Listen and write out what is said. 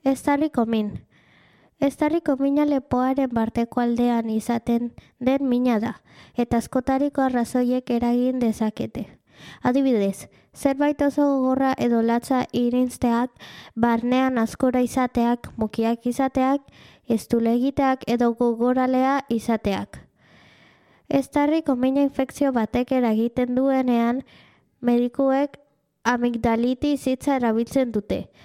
Estarriko min. Estarriko mina lepoaren barteko aldean izaten den mina da, eta askotariko arrazoiek eragin dezakete. Adibidez, zerbait oso gogorra edo latza irinzteak, barnean askora izateak, mukiak izateak, estule egiteak edo gogoralea izateak. Estarriko mina infekzio batek eragiten duenean, medikuek amigdalitis hitza erabiltzen dute.